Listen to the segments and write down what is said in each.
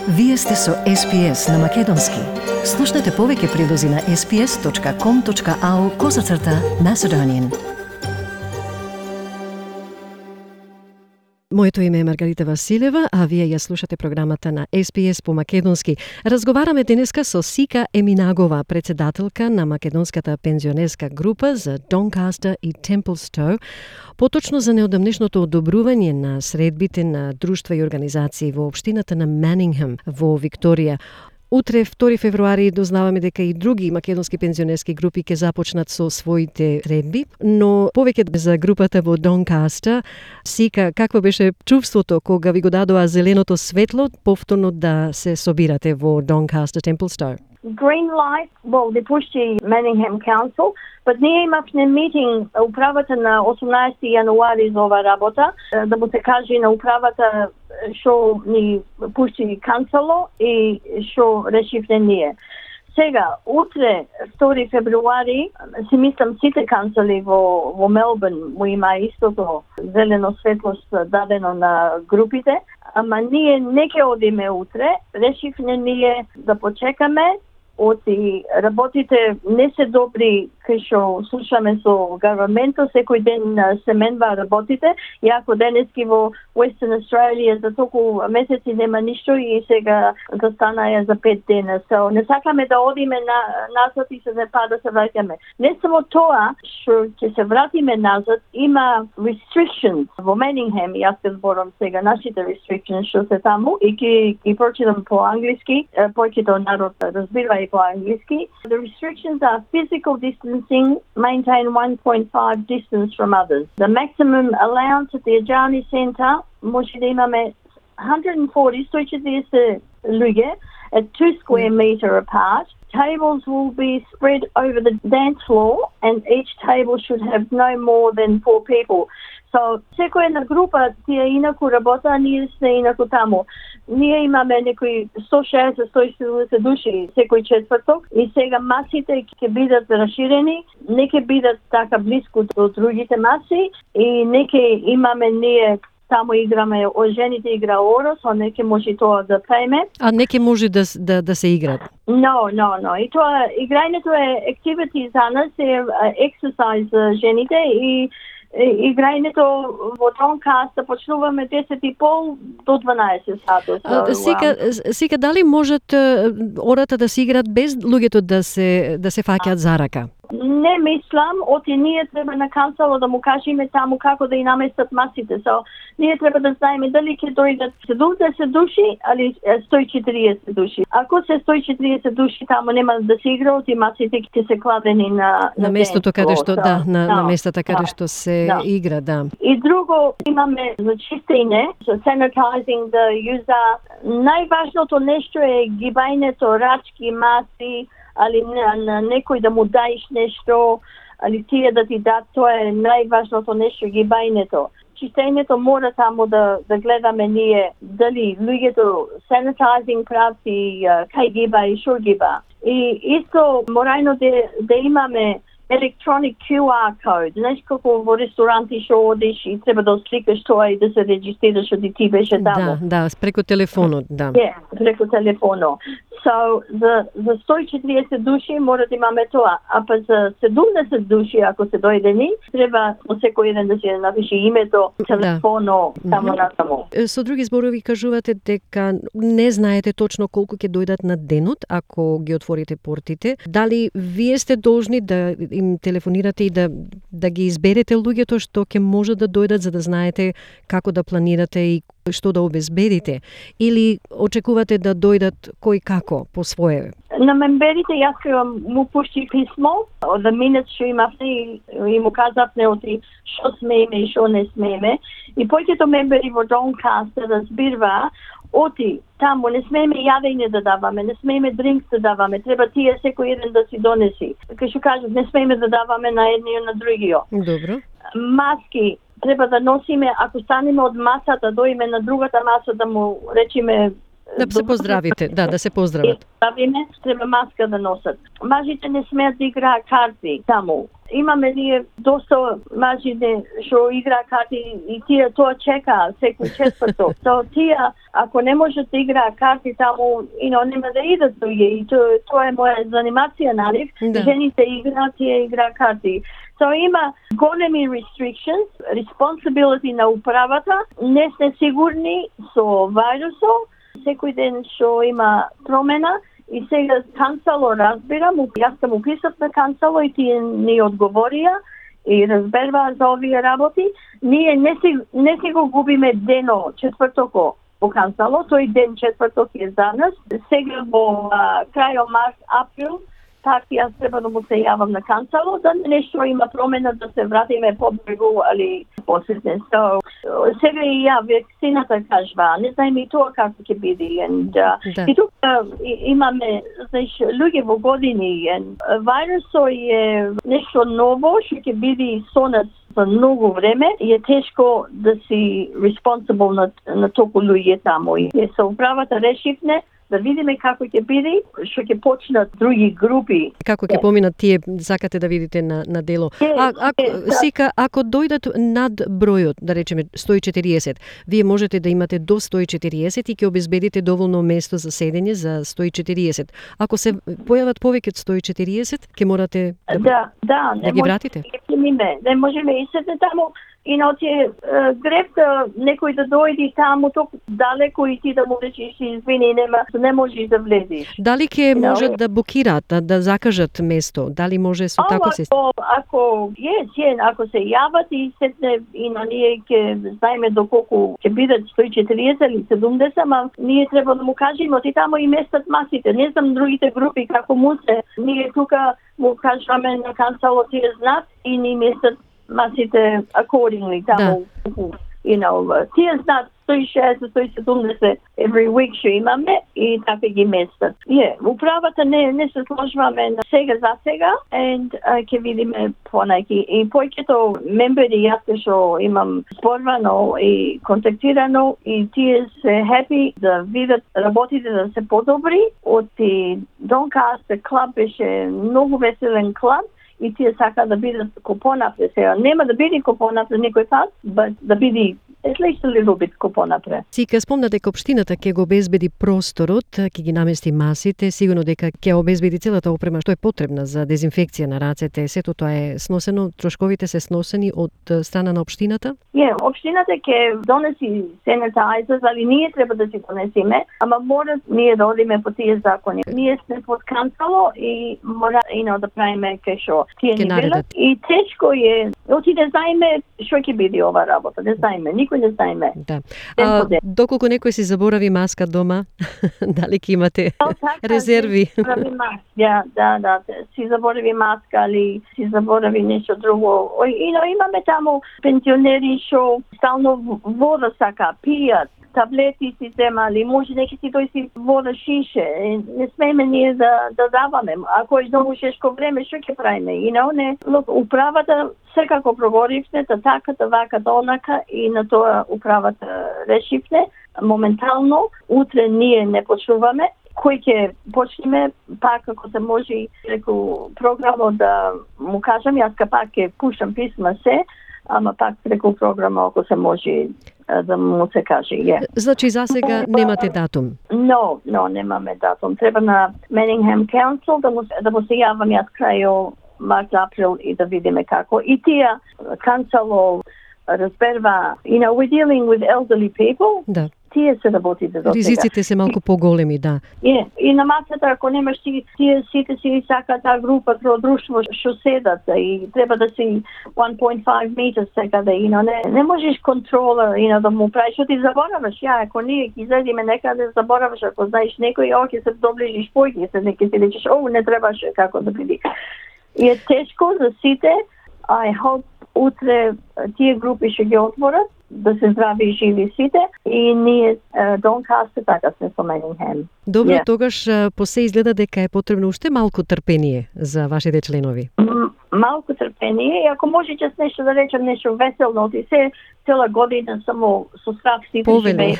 Вие сте со SPS на Македонски. Слушнете повеќе прилози на sps.com.au/Macedonian. Моето име е Маргарита Василева, а вие ја слушате програмата на SPS по македонски. Разговараме денеска со Сика Еминагова, председателка на македонската пензионерска група за Doncaster и Templestowe, поточно за неодамнешното одобрување на средбите на друштва и организации во општината на Манингем во Викторија. Утре, 2 февруари, дознаваме дека и други македонски пензионерски групи ќе започнат со своите средби, но повеќе за групата во Doncaster. Сика, какво беше чувството кога ви го дадоа зеленото светло повторно да се собирате во Doncaster Templestowe? Green light, well, they pushed the Manningham Council, but ние имавме митинг управата на 18 јануари за ова работа, да му се каже на управата што ни пушти канцело и што решивме ние. Сега, утре, 2 февруари, си мислам сите канцели во Мелбурн му има истото зелено светлост дадено на групите, ама ние не ќе одиме утре, решивме ние да почекаме. Оти работите не се добри кај што слушаме со government-о, секој ден се менва работите, и ако денески во Western Australia за толку месеци нема ништо и сега застанаја за 5 дена. So, не сакаме да одиме назад и се да се враќаме. Не само тоа, што ќе се вратиме назад, има restrictions во Manningham, јас ќе зборам сега нашите restrictions што се таму и ќе прочитам по англиски, повеќето народ разбира и по англиски. The restrictions are physical distancing, maintain 1.5 distance from others. The maximum allowance at the Ajani Centre, може да имаме 140 луѓе at 2 square meter apart. Tables will be spread over the dance floor and each table should have no more than 4 people. So, секоја една група тие инаку работа, а ние сме инаку таму. Ние имаме некои 160-170 души секој четврток и сега масите ќе бидат расширени, не ќе бидат така близко до другите маси и не ќе имаме ние таму играме, жените игра орос, а не ќе може тоа да пееме. А не ќе може да се играт? No. И тоа, играњето е activity за нас, е exercise за жените и играњето во Doncaster почнуваме 10:30 до 12 сати. Сега дали можат ората да се играат без луѓето да се фаќаат за рака? Не мислам, оти ние треба на канцело да му кажеме таму како да и наместат масите. So, ние треба да знаеме дали ќе дојдат 70 души или 140 души. Ако се 140 души, таму нема да се игра, оти масите ќе се кладени на местото каде што на местата каде што се игра, да. И друго имаме за чистење, за sanitizing the user. Најважното нешто е гибањето рачки, маси, али на некој да му даеш нешто, али тие да ти дат, тоа е најважното нешто, гибањето. Чистењето мора таму да гледаме ние дали луѓето sanitizing правци, кај гиба и шо гиба. И исто морајно да имаме electronic QR code. Знаеш како во ресторанти што одиш и треба да сликаш тоа и да се регистрираш оди ти беше таму. Да, преку телефонот, да. Преку телефонот. So, за 140 души мора да имаме тоа, а па за 70 души, ако се дојдени, треба секој еден да се напише името, телефоно, таму натаму. Со други зборови кажувате дека не знаете точно колку ќе дојдат на денот, ако ги отворите портите. Дали вие сте должни да им телефонирате и да ги изберете луѓето што ќе може да дојдат, за да знаете како да планирате и што да обезбедите, или очекувате да дојдат кој како по свое? На мемберите јас му пушти писмо од минут што имавте и му казавме оти што смееме и што не смееме. И повеќето мембери во Doncaster разбирва оти таму не смееме јадење да даваме, не смееме дринкс да даваме, треба тие секој еден да си донеси. Кај што кажат, не смееме да даваме на едниот на другиот. Добро. Маски треба да носиме, ако станеме од масата, доиме на другата маса да му речеме Да се поздравите, да се поздрават. Здравиме, треба маска да носат. Мажите не смеат да играат карти таму. Имаме ние доста мажи што играат карти и тие тоа чекаат секој четврток. Тие, ако не можат да играат карти таму, нема да идат други. И тоа е моја занимација, нали? Жените играат, тие играат карти. Има големи restrictions, responsibility на управата, не сте сигурни со вирусот, секој ден што има промена. И сега канцело разбирам, јас сум уписав на канцело и тие ни одговорија и разберваа за овие работи. Ние не си го губиме дено четвртоко по канцело, тој ден четврток е за нас. Сега во крајот март, април, така јас треба да му се јавам на канцело, да нешто има промена, да се вратиме побрегу, али посетне. Сега и ја вакцината кажва, не знаеме и тоа како ќе биде. И тука имаме, луѓе во години, вирусот е нешто ново, што ќе биде со нас за многу време и е тешко да си responsible на толку луѓе таму. И со управата решивме да видиме како ќе биде, што ќе почнат други групи. Како ќе поминат тие, сакате да видите на дело. Сика, ако дојдат над бројот, да речеме 140, вие можете да имате до 140 и ќе обезбедите доволно место за седење за 140. Ако се појават повеќе од 140, ќе морате да ги вратите. Не можеме и седне таму. И тие гребта некој да дојде таму толку далеко и ти да му речеш извини, не можеш да влезеш. Дали ќе можат да букираат, да закажат место? Дали може со тако се? Ако се јават и сетне и ние ќе знаеме доколку ќе бидат 140 или 70, ама ние треба да му кажеме ти таму и местат масите. Не знам другите групи како му се. Ние тука му кажаме на канцело тие знаат и ни местат масите accordingly таму. Тие знаат 160-170 every week што имаме и така ги местат. Управата не се сложваме на сега за сега and ќе видиме понаки. И повеќето мембери јас што имам спорвано и контактирано и тие се happy да видат работите да се подобри. Од Doncaster клуб беше многу веселен клуб. И тие сака да бидат купонапре сега. Нема да биде купонапре некој пат, but да биде at least a little bit купонапре. Сика, спомна дека општината ќе го обезбеди просторот, ќе ги намести масите, сигурно дека ќе обезбеди целата опрема што е потребна за дезинфекција на рацете. Сето тоа е сносено, трошковите се сносени од страна на општината? Општината ќе донеси sanitizers, али ние треба да си донесиме, ама мора ние да одиме по тие закони. Ние сме под канцело и мора да правиме кешо. Тие ни велат и тешко е. Оти не знаеме што ќе биде ова работа, не знаеме, никој не знаеме. Да. Доколку некој си заборави маска дома, дали ќе имате резерви? Да, си заборави маска или си заборави нешто друго. Имаме таму пензионери што стално вода сака, пијат, таблети си земали, може неки си тој си вода шише. Не смееме ние да даваме. Ако е многу шешко време, што ќе правиме? Управата секако проговоривме, така, вака, онака и на тоа управата решивме. Моментално, утре ние не почнуваме. Кој ќе почнеме, пак ако се може преку програмот да му кажам, јас пак ќе пушам писма се, ама пак преку програма ако се може да му се каже. Значи за сега немате датум? Немаме датум. Треба на Manningham Council да му се јавам јас крај март, април и да видиме како. И тие канцело разберва, we're dealing with elderly people. Да. Тие се работите до сега. Ризиците се малку поголеми, да. И на масата, ако немаш тие сите си сака таа група, тоа друштво што седат и треба да си 1.5 meters секаде, не можеш контрола, да му правиш, што ти забораваш. Ако ние ќе излеземе некаде, забораваш, ако знаеш некој, ќе се доближиш појќе, ќе ти речеш, не требаше како да биде. И е тешко за сите. I hope утре тие групи ќе ги отворат, да се здрави и живи сите и ние Doncaster така сме со Manningham. Добро, тогаш по се изгледа дека е потребно уште малку трпение за вашите членови. Малку трпение и ако може јас нешто да речам, нешто веселно, ти се цела година само со страх сите живееме.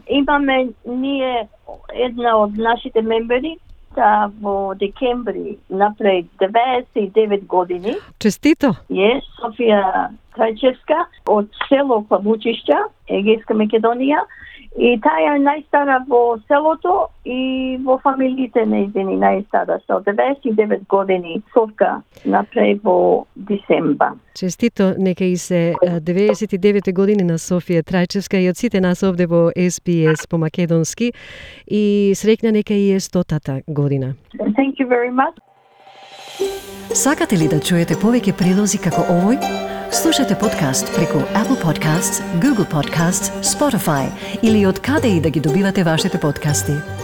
Имаме ние една од нашите мембери во декември направи 99 години. Честито! Софија Трајчевска од село Клабучишќа, Егејска Македонија. И таа е најстара во селото и во фамилиите нејзини најстара. Со 99 години Совка направи во дисемба. Честито, нека и се 99 години на Софија Трајчевска и од сите нас овде во SPS по македонски и среќна нека и е 100-та година. Thank you very much. Сакате ли да чуете повеќе прилози како овој? Слушате подкаст преку Apple Podcasts, Google Podcasts, Spotify или од каде и да ги добивате вашите подкасти.